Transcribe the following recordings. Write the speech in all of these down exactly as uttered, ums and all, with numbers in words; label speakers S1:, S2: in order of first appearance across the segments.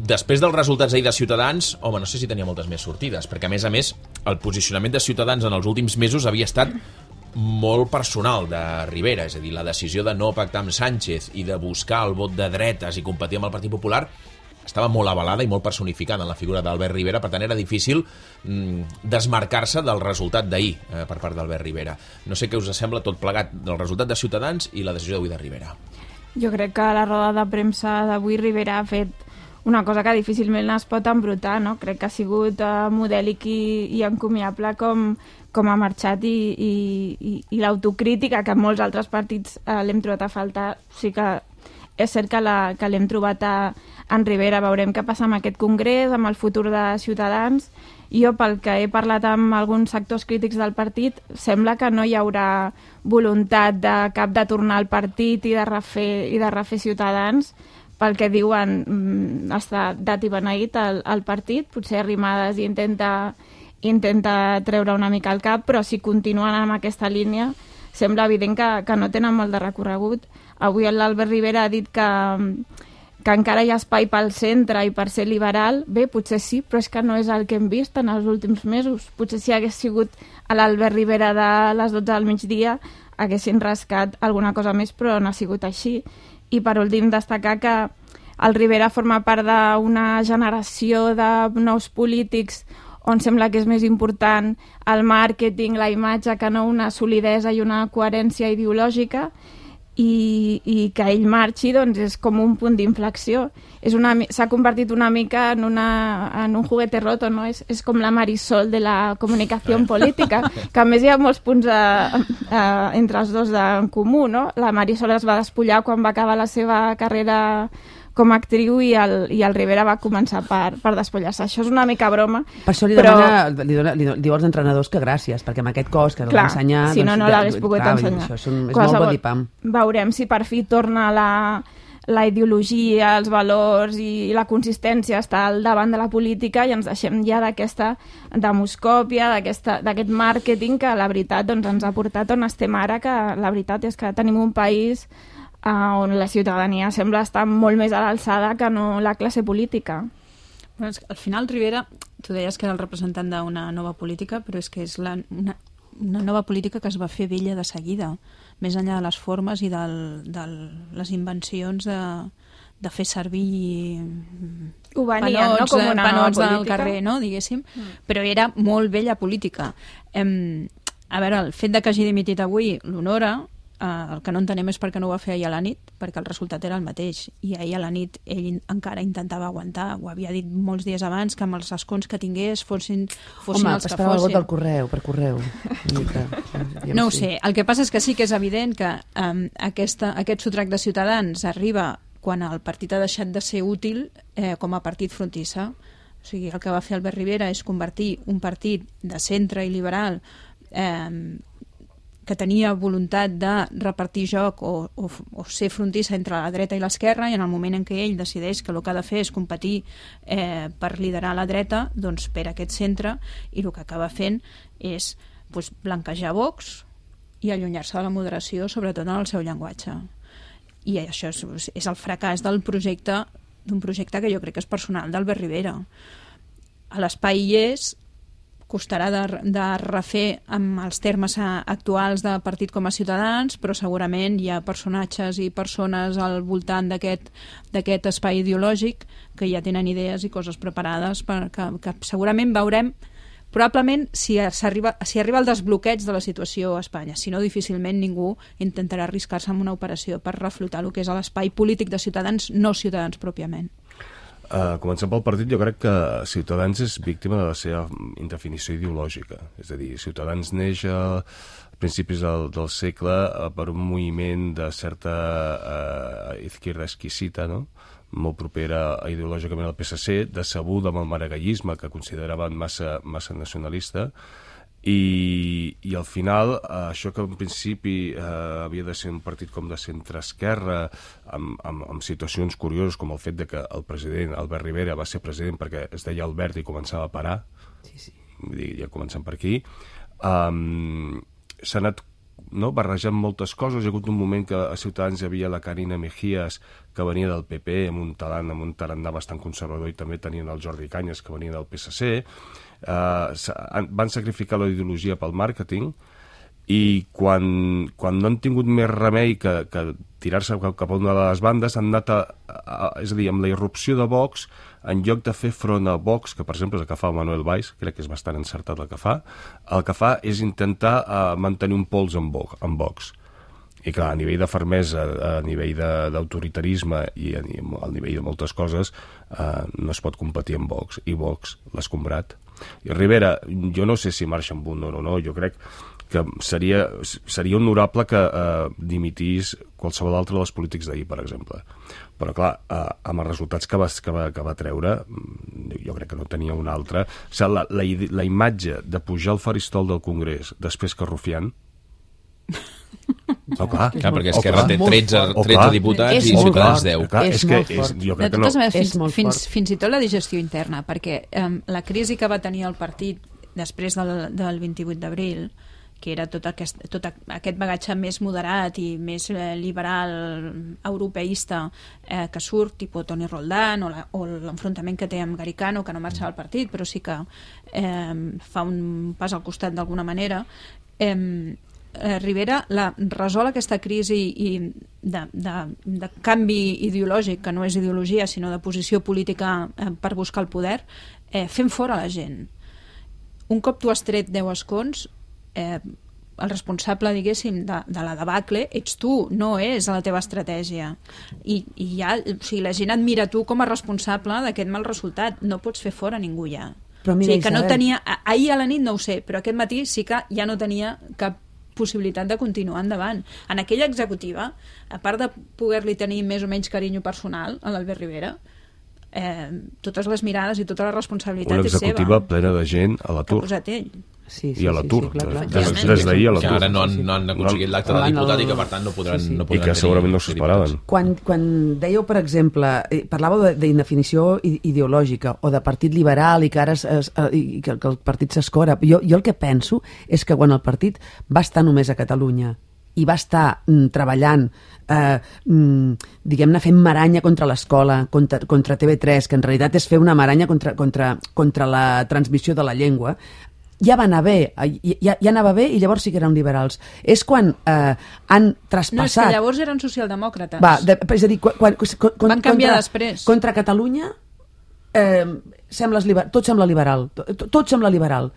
S1: després dels resultats ahir de Ciutadans, home, no sé si tenia moltes més sortides, perquè a més a més el posicionament de Ciutadans en els últims mesos havia estat molt personal de Rivera, és a dir, la decisió de no pactar amb Sánchez i de buscar el vot de dretes i competir amb el Partit Popular estava molt avalada i molt personificada en la figura d'Albert Rivera, per tant era difícil mm, desmarcar-se del resultat d'ahir eh, per part d'Albert Rivera. No sé què us sembla tot plegat del resultat de Ciutadans i la decisió d'avui de Rivera.
S2: Jo crec que la roda de premsa d'avui Rivera ha fet una cosa que difícilment es pot embrutar, no? Crec que ha sigut uh, modèlic i, i encomiable com, com ha marxat i, i, i, i l'autocrítica que molts altres partits uh, l'hem trobat a faltar. Sí que és cert que la- que l'hem trobat a, en Rivera. Veurem què passa amb aquest congrés, amb el futur de Ciutadans. Jo, pel que he parlat amb alguns sectors crítics del partit, sembla que no hi haurà voluntat de cap de tornar al partit i de refer, i de refer Ciutadans. Pel que diuen, mm, està dat i beneït el, el partit. Potser Arrimadas intenta, intenta treure una mica el cap, però si continuen amb aquesta línia sembla evident que, que no tenen molt de recorregut. Avui l'Albert Rivera ha dit que, que encara hi ha espai pel centre i per ser liberal. Bé, potser sí, però és que no és el que hem vist en els últims mesos. Potser si hagués sigut a l'Albert Rivera de les dotze del migdia haguessin rascat alguna cosa més, però no ha sigut així. I per últim destacar que el Rivera forma part d'una generació de nous polítics on sembla que és més important el màrqueting, la imatge, que no una solidesa i una coherència ideològica, i, i que ell marxi doncs, és com un punt d'inflexió. És una mi- S'ha convertit una mica en, una, en un juguete roto, no? És, és com la Marisol de la comunicació política, que a més hi ha molts punts a, a, entre els dos de, en comú, no? La Marisol es va despullar quan va acabar la seva carrera com a actriu i el, i el Rivera va començar per, per despullar-se. Això és una mica broma.
S3: Per això li,
S2: però...
S3: demana, li, dona, li do- diu als entrenadors que gràcies, perquè amb aquest cos que l'ha
S2: Clar,
S3: d'ensenyar...
S2: si no, no
S3: ja-
S2: l'hagués pogut
S3: clar,
S2: ensenyar.
S3: Això és, un, és molt
S2: Qualsevol-
S3: body pump.
S2: Veurem si per fi torna la, la ideologia, els valors i la consistència està al davant de la política i ens deixem ja d'aquesta demoscòpia, d'aquesta- d'aquest màrqueting que la veritat doncs, ens ha portat on estem ara, que la veritat és que tenim un país uh, on la ciutadania sembla estar molt més a l'alçada que no la classe política.
S4: Bueno, és que al final Rivera, tu deies que era el representant d'una nova política, però és que és la, una, una nova política que es va fer vella de seguida, més enllà de les formes i del, de les invencions de, de fer servir
S2: Ho venien, no?
S4: panots,
S2: Com una nova
S4: panots del
S2: política.
S4: carrer, no? Diguéssim, mm. però era molt vella política. Em, a veure, el fet de que hagi dimitit avui l'honora. Uh, el que no entenem és per què no ho va fer ahir a la nit, perquè el resultat era el mateix, i ahir a la nit ell in- encara intentava aguantar, ho havia dit molts dies abans, que amb els escons que tingués fossin, fossin
S3: Home,
S4: els que
S3: esperava el vot
S4: fossin.
S3: del correu, per correu. Una mica, aviam
S4: No ho
S3: si-
S4: sé, el que passa és que sí que és evident que um, aquesta, aquest sotrac de Ciutadans arriba quan el partit ha deixat de ser útil eh, com a partit frontissa. O sigui, el que va fer Albert Rivera és convertir un partit de centre i liberal eh, que tenia voluntat de repartir joc o, o, o ser frontissa entre la dreta i l'esquerra, i en el moment en què ell decideix que el que ha de fer és competir eh, per liderar la dreta, doncs per aquest centre, i el que acaba fent és doncs, blanquejar Vox i allunyar-se de la moderació, sobretot en el seu llenguatge. I això és, és el fracàs del projecte, d'un projecte que jo crec que és personal d'Albert Rivera. A l'espai hi és, costarà de, de refer amb els termes actuals de partit com a Ciutadans, però segurament hi ha personatges i persones al voltant d'aquest d'aquest espai ideològic que ja tenen idees i coses preparades per, que, que segurament veurem probablement si arriba, si arriba el desbloqueig de la situació a Espanya. Si no, difícilment ningú intentarà arriscar-se en una operació per reflotar el que és l'espai polític de Ciutadans, no Ciutadans pròpiament.
S5: Uh, començant pel partit, jo crec que Ciutadans és víctima de la seva indefinició ideològica. És a dir, Ciutadans neix a principis del, del segle uh, per un moviment de certa uh, izquierda exquisita, no? Molt propera ideològicament al P S C, decebuda amb el maragallisme, que consideraven massa, massa nacionalista, i, i al final eh, això que en principi eh, havia de ser un partit com de centre-esquerra amb, amb, amb situacions curioses com el fet de que el president Albert Rivera va ser president perquè es deia Albert i començava a parar,
S3: Sí, sí.
S5: vull dir, ja començant per aquí, um, s'ha anat no, barrejant moltes coses. Hi ha hagut un moment que a Ciutadans hi havia la Carina Mejías, que venia del P P, amb un talant, amb un tarannà bastant conservador, i també tenien el Jordi Cañas, que venia del P S C. Uh, van sacrificar la ideologia pel màrqueting, i quan, quan no han tingut més remei que, que tirar-se cap, cap a una de les bandes, han anat a, a, és a dir, amb la irrupció de Vox, en lloc de fer front a Vox, que per exemple és el que fa el Manuel Valls, crec que és bastant encertat el que fa, el que fa és intentar uh, mantenir un pols amb Vox, amb Vox. I clar, a nivell de fermesa, a nivell d'autoritarisme i a nivell de moltes coses, uh, no es pot competir amb Vox, i Vox l'ha escombrat. I Rivera, jo no sé si marxa amb un o no, jo crec que seria, seria honorable que eh, dimitís qualsevol altre dels polítics d'ahir, per exemple. Però, clar, eh, amb els resultats que va, que, va, que va treure, jo crec que no tenia un altre. O sigui, la, la, la imatge de pujar al faristol del Congrés després que Rufián... Oh, clar,
S1: clar, perquè Esquerra té tretze, tretze diputats
S4: és
S1: i Ciutadans deu.
S3: Clar, és, és molt fort.
S5: És, jo crec
S4: de
S5: que no.
S4: totes maneres, fins,
S3: És molt
S4: fins,
S3: fort.
S4: fins i tot la digestió interna, perquè um, la crisi que va tenir el partit després del, del vint-i-vuit d'abril, que era tot aquest, tot aquest bagatge més moderat i més eh, liberal, europeista, eh, que surt, tipus Toni Roldán, o, la, o l'enfrontament que té amb Garicano, que no marxa del partit, però sí que eh, fa un pas al costat d'alguna manera. Eh, eh, Rivera la, resol aquesta crisi i de, de, de canvi ideològic, que no és ideologia, sinó de posició política eh, per buscar el poder, eh, fent fora la gent. Un cop tu has tret deu escons, Eh, el responsable, diguéssim, de, de la debacle ets tu, no és la teva estratègia. I, i ja, o sigui, la gent et mira tu com a responsable d'aquest mal resultat. No pots fer fora ningú ja.
S3: Però mira,
S4: o sigui, que no
S3: Isabel...
S4: tenia, ahir a la nit no ho sé, però aquest matí sí que ja no tenia cap possibilitat de continuar endavant. En aquella executiva, a part de poder-li tenir més o menys carinyo personal a l'Albert Rivera, eh, totes les mirades i tota la responsabilitat
S5: una
S4: és seva.
S5: Una executiva plena de gent a l'atur.
S4: Que ha posat ell.
S3: Sí, sí,
S5: I a l'atur.
S3: sí, sí, clar, clar.
S5: Des, des d'ahir a l'atur.
S1: Que ara no han, no han aconseguit l'acte de diputat i que per tant no podran,
S3: Sí, sí.
S1: no podran
S5: I que segurament no s'ho esperaven.
S3: Quan, quan dèieu, per exemple, eh, parlàveu de- d'indefinició i- ideològica o de partit liberal i que ara es, es, eh, i que, que el partit s'escora, jo, jo el que penso és que quan el partit va estar només a Catalunya i va estar mm, treballant, eh, mm, diguem-ne, fent maranya contra l'escola, contra, contra T V tres, que en realitat és fer una maranya contra, contra, contra la transmissió de la llengua, ja va anar bé, ja, ja anava bé i llavors sí que eren liberals. És quan eh, han traspassat...
S4: No, és que llavors eren socialdemòcrates.
S3: Va, de, és a dir, quan, quan, quan,
S4: Van canviar
S3: contra,
S4: després.
S3: Contra Catalunya eh, sembles liber, tot sembla liberal, tot, tot sembla liberal.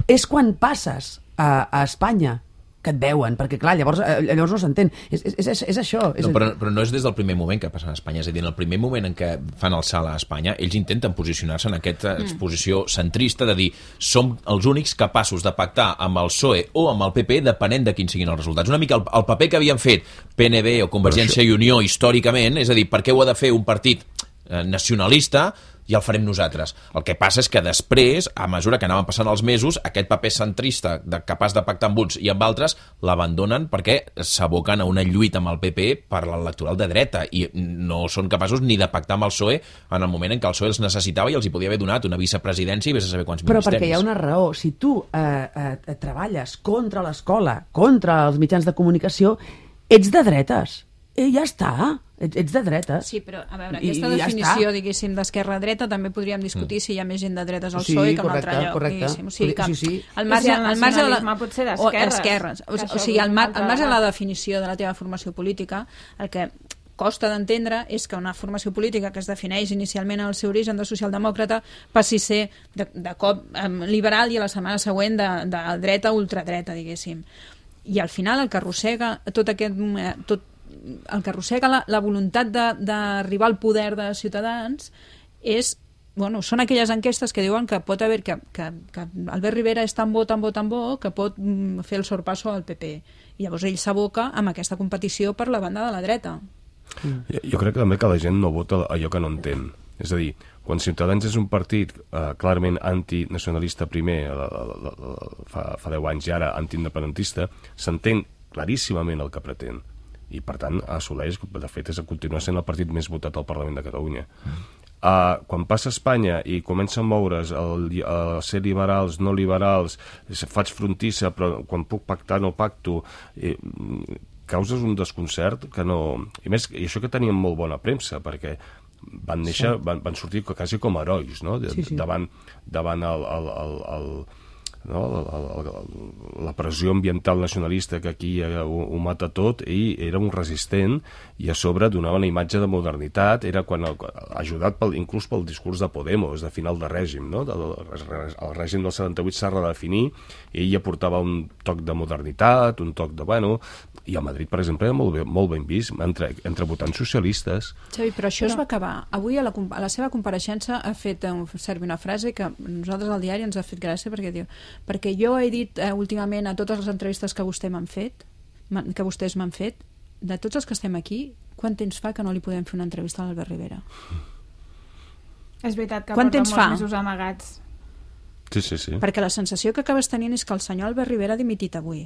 S3: És quan passes a, a Espanya que et veuen, perquè clar, llavors, eh, llavors no s'entén. És, és, és, és això. És
S1: No, però, però no és des del primer moment que passen a Espanya, és a dir, en el primer moment en què fan el salt a Espanya, ells intenten posicionar-se en aquesta exposició centrista de dir som els únics capaços de pactar amb el P S O E o amb el P P depenent de quins siguin els resultats. Una mica el, el paper que havien fet P N B o Convergència i Unió històricament, és a dir, per què ho ha de fer un partit eh, nacionalista i el farem nosaltres. El que passa és que després, a mesura que anaven passant els mesos, aquest paper centrista de, capaç de pactar amb uns i amb altres l'abandonen perquè s'aboquen a una lluita amb el P P per l'electoral de dreta i no són capaços ni de pactar amb el P S O E en el moment en què el P S O E els necessitava i els hi podia haver donat una vicepresidència i vés a saber quants
S3: Però
S1: ministeris.
S3: perquè hi ha una raó. Si tu eh, eh, treballes contra l'escola, contra els mitjans de comunicació, ets de dretes. I ja està. Ets, ets de dretes.
S4: Sí, però a veure,
S3: I-
S4: aquesta
S3: i ja
S4: definició,
S3: està.
S4: diguéssim, d'esquerra-dreta també podríem discutir si hi ha més gent de dretes al
S3: Sí,
S4: P S O E que en un
S3: correcte,
S4: altre lloc,
S3: correcte.
S4: diguéssim. O sigui que
S3: Sí, sí.
S4: al
S2: I
S4: marge,
S2: si el
S4: al marge de la...
S2: nacionalisme pot ser
S4: o
S2: d'esquerres.
S4: esquerres. O,
S2: Això
S4: o sigui, al, mar,
S2: és un
S4: al marge de
S2: altre
S4: la definició de la teva formació política, el que costa d'entendre és que una formació política que es defineix inicialment en el seu origen de socialdemòcrata passi a ser de, de cop eh, liberal i a la setmana següent de, de dreta a ultradreta, diguéssim. I al final el que arrossega tot aquest... eh, tot, el que arrossega la, la voluntat de- d'arribar al poder de Ciutadans és, bueno, són aquelles enquestes que diuen que pot haver que, que, que Albert Rivera és tan bo, tan bo, tan bo que pot mm, fer el sorpasso al P P. I llavors ell s'aboca amb aquesta competició per la banda de la dreta.
S5: Jo, jo crec que també que la gent no vota allò que no entén. És a dir, quan Ciutadans és un partit eh, clarament antinacionalista primer, la, la, la, la, fa, fa deu anys i ara antiindependentista, s'entén claríssimament el que pretén. I, per tant, assoleix, de fet, és a continuar sent el partit més votat al Parlament de Catalunya. Uh, quan passa a Espanya i comença a moure's el, a ser liberals, no liberals, faig frontissa, però quan puc pactar no pacto, eh, causes un desconcert que no... I més, i això que tenien molt bona premsa, perquè van néixer, sí. van, van sortir quasi com herois, no? De, sí, sí. davant, davant el, el, el, el no? La, la, la pressió ambiental nacionalista que aquí ho, ho mata tot, i era un resistent, i a sobre donava una imatge de modernitat, era quan el, ajudat pel, inclús pel discurs de Podemos, de final de règim, no? El, el règim del setanta-vuit s'ha redefinit, i ell aportava un toc de modernitat, un toc de, bueno, i a Madrid, per exemple, era molt, bé, molt ben vist entre, entre votants socialistes.
S4: Xavi, però això però... es va acabar. Avui a la, a la seva compareixença ha fet servir una frase que nosaltres al diari ens ha fet gràcia, perquè diu, perquè jo he dit eh, últimament a totes les entrevistes que vostè m'han fet, que vostès m'han fet, de tots els que estem aquí, quant temps fa que no li podem fer una entrevista a l'Albert Rivera?
S2: És veritat que
S4: quant
S2: porta
S4: temps
S2: molts
S4: fa?
S2: mesos amagats.
S5: Sí, sí, sí.
S4: Perquè la sensació que acabes tenint és que el senyor Albert Rivera ha dimitit avui,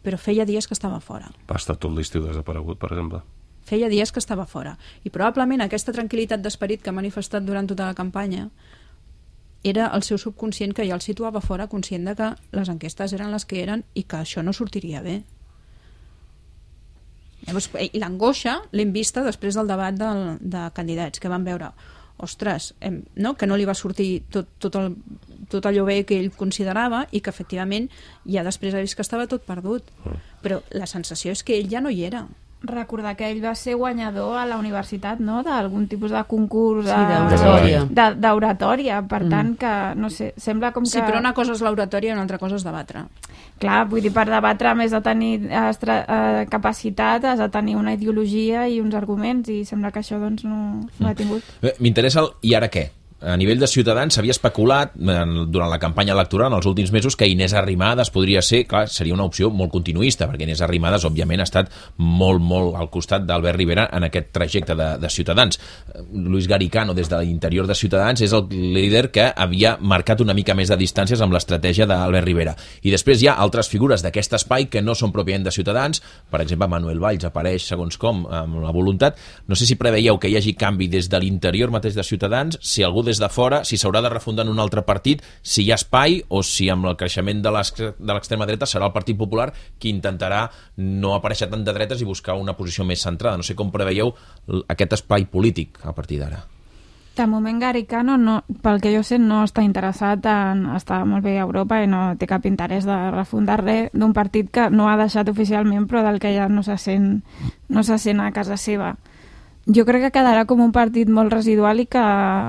S4: però feia dies que estava fora.
S5: Va estar tot l'estiu desaparegut, per exemple.
S4: Feia dies que estava fora. I probablement aquesta tranquil·litat d'esperit que ha manifestat durant tota la campanya era el seu subconscient, que ja el situava fora, conscient de que les enquestes eren les que eren i que això no sortiria bé. Llavors, i l'angoixa l'hem vista després del debat del, de candidats, que van veure, ostres, hem, no? que no li va sortir tot, tot, el, tot allò bé que ell considerava, i que efectivament ja després ha vist que estava tot perdut. Però la sensació és que ell ja no hi era.
S2: Recordar que ell va ser guanyador a la universitat, no?, d'algun tipus de concurs
S3: sí, d'oratòria.
S2: De, d'oratòria, per mm. tant que, no sé, sembla com que...
S4: Sí, però una cosa és l'oratòria i una altra cosa és debatre.
S2: Clar, vull dir, per debatre, a més de tenir estra, eh, capacitat, has de tenir una ideologia i uns arguments, i sembla que això doncs no, no ha tingut.
S1: M'interessa el i ara què? A nivell de Ciutadans s'havia especulat durant la campanya electoral en els últims mesos que Inés Arrimadas podria ser, clar, seria una opció molt continuista, perquè Inés Arrimadas òbviament ha estat molt, molt al costat d'Albert Rivera en aquest trajecte de, de Ciutadans. Luis Garicano, des de l'interior de Ciutadans, és el líder que havia marcat una mica més de distàncies amb l'estratègia d'Albert Rivera. I després hi ha altres figures d'aquest espai que no són pròpiament de Ciutadans, per exemple Manuel Valls apareix segons com amb la voluntat. No sé si preveieu que hi hagi canvi des de l'interior mateix de Ciutadans, si algú des de fora, si s'haurà de refundar en un altre partit, si hi ha espai o si amb el creixement de l'extrema dreta serà el Partit Popular qui intentarà no aparèixer tant de dretes i buscar una posició més centrada. No sé com preveieu aquest espai polític a partir d'ara.
S2: De moment Garicano, no, pel que jo sé, no està interessat en estar molt bé a Europa i no té cap interès de refundar res d'un partit que no ha deixat oficialment però del que ja no se sent, no se sent a casa seva. Jo crec que quedarà com un partit molt residual i que,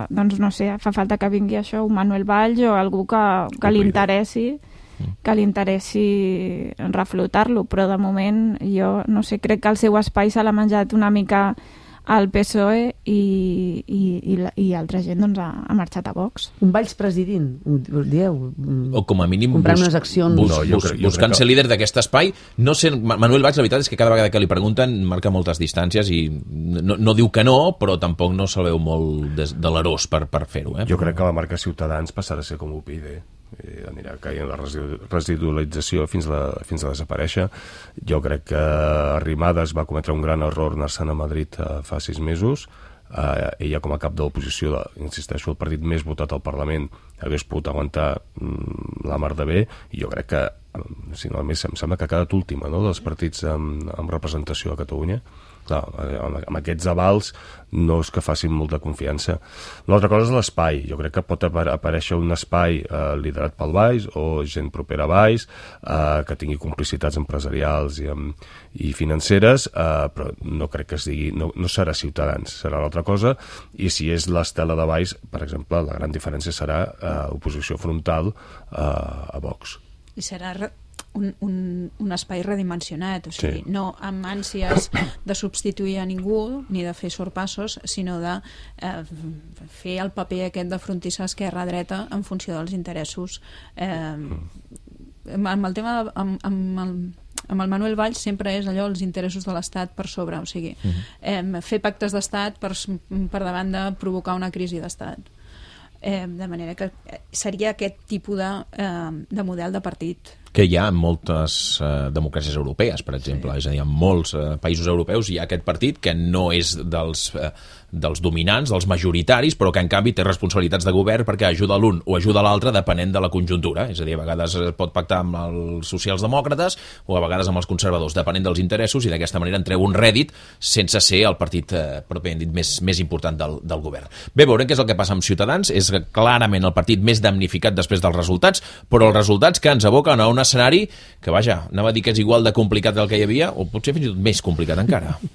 S2: doncs no sé, fa falta que vingui això, un Manuel Valls o algú que, que li interessi que li interessi reflotar-lo, però de moment jo no sé, crec que el seu espai se l'ha menjat una mica al P S O E i, i, i, i altra gent doncs, ha, ha marxat a Vox.
S3: Un Valls presidint, ho dieu?
S1: O com a mínim
S3: comprant
S1: bus,
S3: unes accions.
S1: Bus,
S5: no,
S1: bus,
S5: crec,
S1: buscant
S5: que...
S1: ser líder d'aquest espai. No sé, Manuel Valls, la veritat és que cada vegada que li pregunten marca moltes distàncies i no, no diu que no, però tampoc no se'l veu molt de, de l'erós per, per fer-ho. Eh?
S5: Jo crec que la marca Ciutadans passarà a ser com U P y D. Eh, anirà caient la residualització fins a, fins a desaparèixer. Jo crec que Arrimadas va cometre un gran error anar-se'n a Madrid eh, fa sis mesos. Eh, ella com a cap de l'oposició, insisteixo, el partit més votat al Parlament, hagués pogut aguantar mm, la mar de bé, i jo crec que, si no, a més, em sembla que ha quedat última, no?, dels partits amb, amb representació a Catalunya. Clar, amb aquests avals no és que facin molta confiança. L'altra cosa és l'espai. Jo crec que pot aparèixer un espai eh, liderat pel Valls o gent propera a Valls eh, que tingui complicitats empresarials i, i financeres, eh, però no crec que es digui, no, no serà Ciutadans, serà l'altra cosa, i si és l'estela de Valls, per exemple, la gran diferència serà eh, oposició frontal eh, a Vox.
S4: I serà un, un, un espai redimensionat, o sigui, sí. no amb ànsies de substituir a ningú ni de fer sorpassos, sinó de eh, fer el paper aquest de frontissa esquerra-dreta en funció dels interessos. Eh, amb el tema de, amb, amb el amb el Manuel Valls sempre és allò, els interessos de l'Estat per sobre, o sigui, uh-huh. eh, fer pactes d'Estat per, per davant de provocar una crisi d'Estat. Eh, de manera que seria aquest tipus de, eh, de model de partit.
S1: que hi ha en moltes eh, democràcies europees, per exemple. Sí. És a dir, en molts eh, països europeus hi ha aquest partit que no és dels... Eh, dels dominants, dels majoritaris, però que en canvi té responsabilitats de govern perquè ajuda l'un o ajuda l'altre depenent de la conjuntura. És a dir, a vegades pot pactar amb els socials-demòcrates o a vegades amb els conservadors, depenent dels interessos, i d'aquesta manera en treu un rèdit sense ser el partit eh, pròpiament dit més, més important del, del govern. Bé, veurem què és el que passa amb Ciutadans. És clarament el partit més damnificat després dels resultats, però els resultats que ens aboquen a un escenari que, vaja, anava a dir que és igual de complicat del que hi havia, o potser fins i tot més complicat encara.